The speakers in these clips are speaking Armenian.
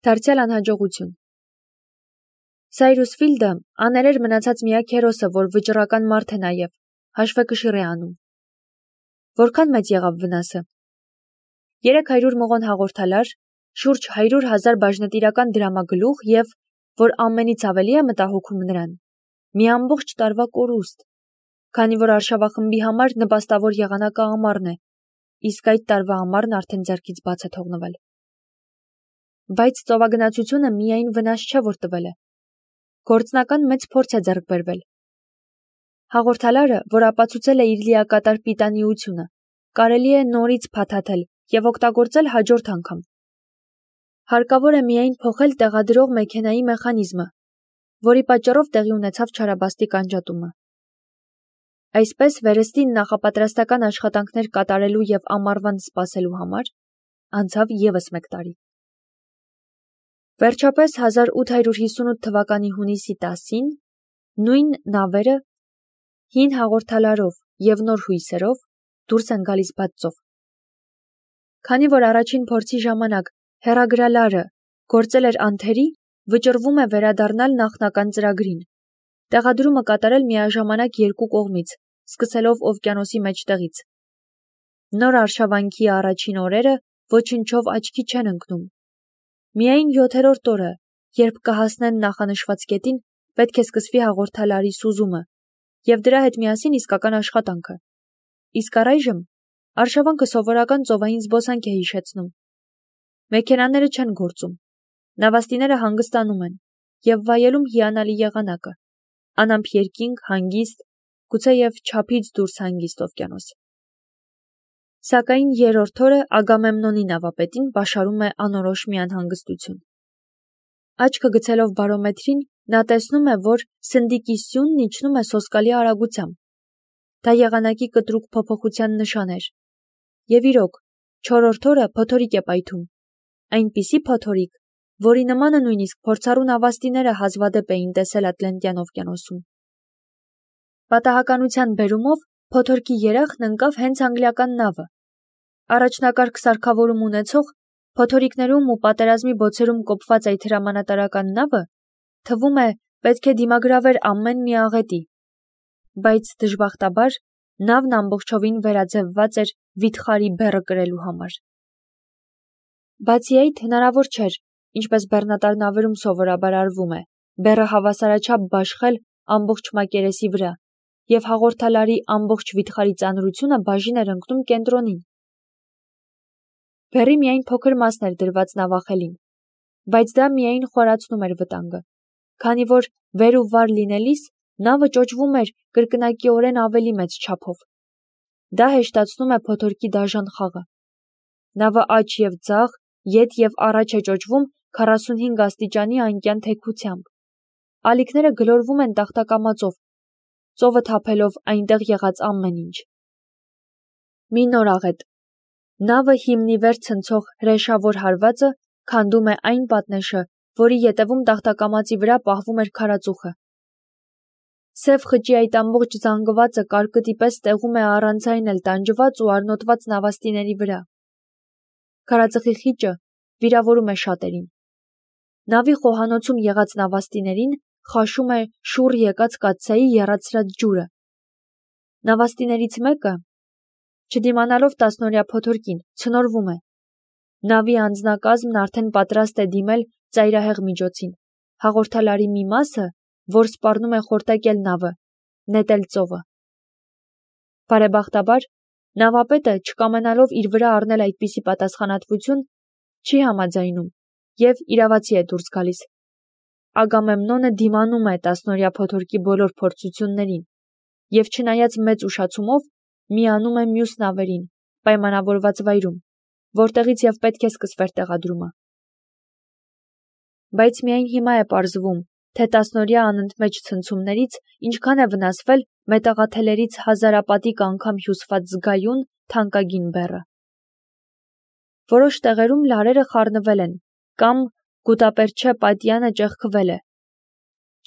Դարձյալ անհաջողություն։ Սայրուս Ֆիլդը աներեր մնացած միակ հերոսը, որ վճռական մարդ է նաև, հաշվեկշիռ է անում։ Որքան մեծ եղավ վնասը։ 300 մղոն հաղորդալար, շուրջ 100,000 բաժնետիրական դրամագլուխ և, որ ամենից ավելի է մտահոգում նրան, մի ամբողջ տարվա կորուստ, քանի որ արշավախմբի համար նպաստավոր եղանակը ամառն է, իսկ այդ տարվա ամառն արդեն ձեռքից բաց է թողնվել։ Բայց ծովագնացությունը միայն վնաս չէ, որ տվել է։ Գործնական մեծ փորձ է ձեռք բերվել։ Հաղորդալարը, որ ապացուցել է իր լիակատար պիտանիությունը, կարելի է նորից փաթաթել և օգտագործել հաջորդ անգամ։ Հարկավոր է միայն փոխել տեղադրող մեքենայի մեխանիզմը, որի պատճառով տեղի ունեցավ չարաբաստիկ անջատումը։ Այսպես վերստին նախապատրաստական աշխատանքներ կատարելու և ամառվան սպասելու համար անցավ ևս մեկ տարի։ Վերջապես 1858 թվականի հունիսի 10-ին նույն նավերը հին հաղորդալարով և նոր հույսերով դուրս են գալիս բաց ծով։ Քանի որ առաջին փորձի ժամանակ հեռագրալարը գործել էր անթերի, վճռվում է վերադառնալ նախնական ծրագրին, տեղադրումը կատարել միաժամանակ երկու կողմից, սկսելով օվկիանոսի մեջտեղից։ Նոր արշավանքի առաջին օրերը ոչնչով աչքի չեն ընկնում։ Միայն 7-րդ օրը, երբ կհասնեն նախանշված կետին, պետք է սկսվի հաղորդալարի սուզումը և դրա հետ միասին իսկական աշխատանքը։ Իսկ առայժմ արշավանքը սովորական ծովային զբոսանք է հիշեցնում։ Մեքենաները չեն գործում, նավաստիները հանգստանում են և վայելում հիանալի եղանակը, անամփ երկինք, հանգիստ, գուցեև չափից դուրս հանգիստ օվկիանոս։ Սակայն երրորդ օրը Ագամեմնոնի նավապետին բաշարում է անորոշ մի անհանգստություն։ Աչքը գցելով բարոմետրին, նա տեսնում է, որ սնդիկի սյունն իջնում է սոսկալի արագությամբ։ Դա եղանակի կտրուկ փոփոխության նշան էր։ Եվ իրոք, չորրորդ օրը փոթորիկ է պայթում, այնպիսի փոթորիկ, որի նմանը նույնիսկ փորձառու նավաստիները հազվադեպ էին տեսել Ատլանտյան օվկիանոսում։ Պատահականության բերումով փոթորկի երախն ընկավ հենց անգլիական նավը։ Առաջնակարգ սարքավորում ունեցող, փոթորիկներում ու պատերազմի բոցերում կոփված այդ հրամանատարական նավը, թվում է, պետք է դիմագրավեր ամեն մի աղետի, բայց դժբախտաբար նավն ամբողջովին վերաձևված էր վիթխարի բեռը կրելու համար։ Բացի այդ, հնարավոր չէր, ինչպես բեռնատար նավերում սովորաբար արվում է, բեռը հավասարաչափ բաշխել ամբողջ մակերեսի վրա, և հաղորդալարի ամբողջ վիթխարի ծանրությունը բաժին էր ընկնում կենտրոնին։ Բեռի միայն փոքր մասն էր դրված նավախելին, բայց դա միայն խորացնում էր վտանգը, քանի որ վեր ու վար լինելիս նավը ճոճվում էր կրկնակիորեն ավելի մեծ չափով։ Դա հեշտացնում է փոթորկի դաժան խաղը։ Նավը աջ և ձախ, ետ և առաջ է ճոճվում 45 աստիճանի անկյան թեքությամբ։ Ալիքները գլորվում են տախտակամածով, ծովը թափելով այնտեղ եղած ամեն ինչ։ Մի նոր աղետ։ Նավը հիմնի վեր ցնցող հրեշավոր հարվածը քանդում է այն պատնեշը, որի ետևում տախտակամածի վրա պահվում էր քարածուխը։ Սև խճի այդ ամբողջ զանգվածը կարկտի պես տեղում է առանց այն էլ տանջված ու արնոտված նավաստիների վրա։ Քարածխի խիճը վիրավորում է շատերին։ Նավի խոհանոցում եղած նավաստիներին խաշում է շուռ եկած կաթսայի եռացրած ջուրը։ Նավաստիներից մեկը, չդիմանալով 10-օրյա փոթորկին, ցնորվում է։ Նավի անձնակազմն արդեն պատրաստ է դիմել ծայրահեղ միջոցին, հաղորդալարի մի մասը, որ սպառնում է խորտակել նավը, նետել ծովը։ Բարեբախտաբար, նավապետը, չկամենալով իր վրա առնել այդպիսի պատասխանատվություն, չի համաձայնում և իրավացի է դուրս գալիս։ Ագամեմնոնը դիմանում է 10-օրյա փոթորկի բոլոր փորձություններին և չնայած մեծ ուշացումով միանում է մյուս նավերին պայմանավորված վայրում, որտեղից և պետք է սկսվեր տեղադրումը։ Բայց միայն հիմա է պարզվում, թե 10-օրյա անընդմեջ ցնցումներից ինչքան է վնասվել մետաղաթելերից հազարապատիկ անգամ հյուսված զգայուն, թանկագին բեռը։ Որոշ տեղերում լարերը խառնվել են կամ գուտապերչե պատյանը ճեղքվել է։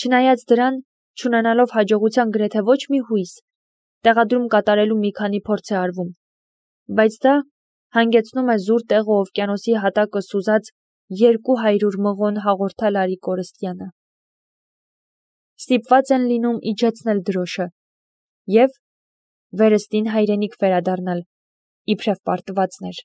Չնայած դրան, չունենալով հաջողության գրեթե ոչ մի հույս, տեղադրում կատարելու մի քանի փորձ է արվում, բայց դա հանգեցնում է զուր տեղը օվկիանոսի հատակը սուզած 200 մղոն հաղորդալ արի կորստյանը։ Ստիպված են լինում իջեցնել դրոշը և վերստին հայրենիք վերադառնալ, իբրև պարտվածներ։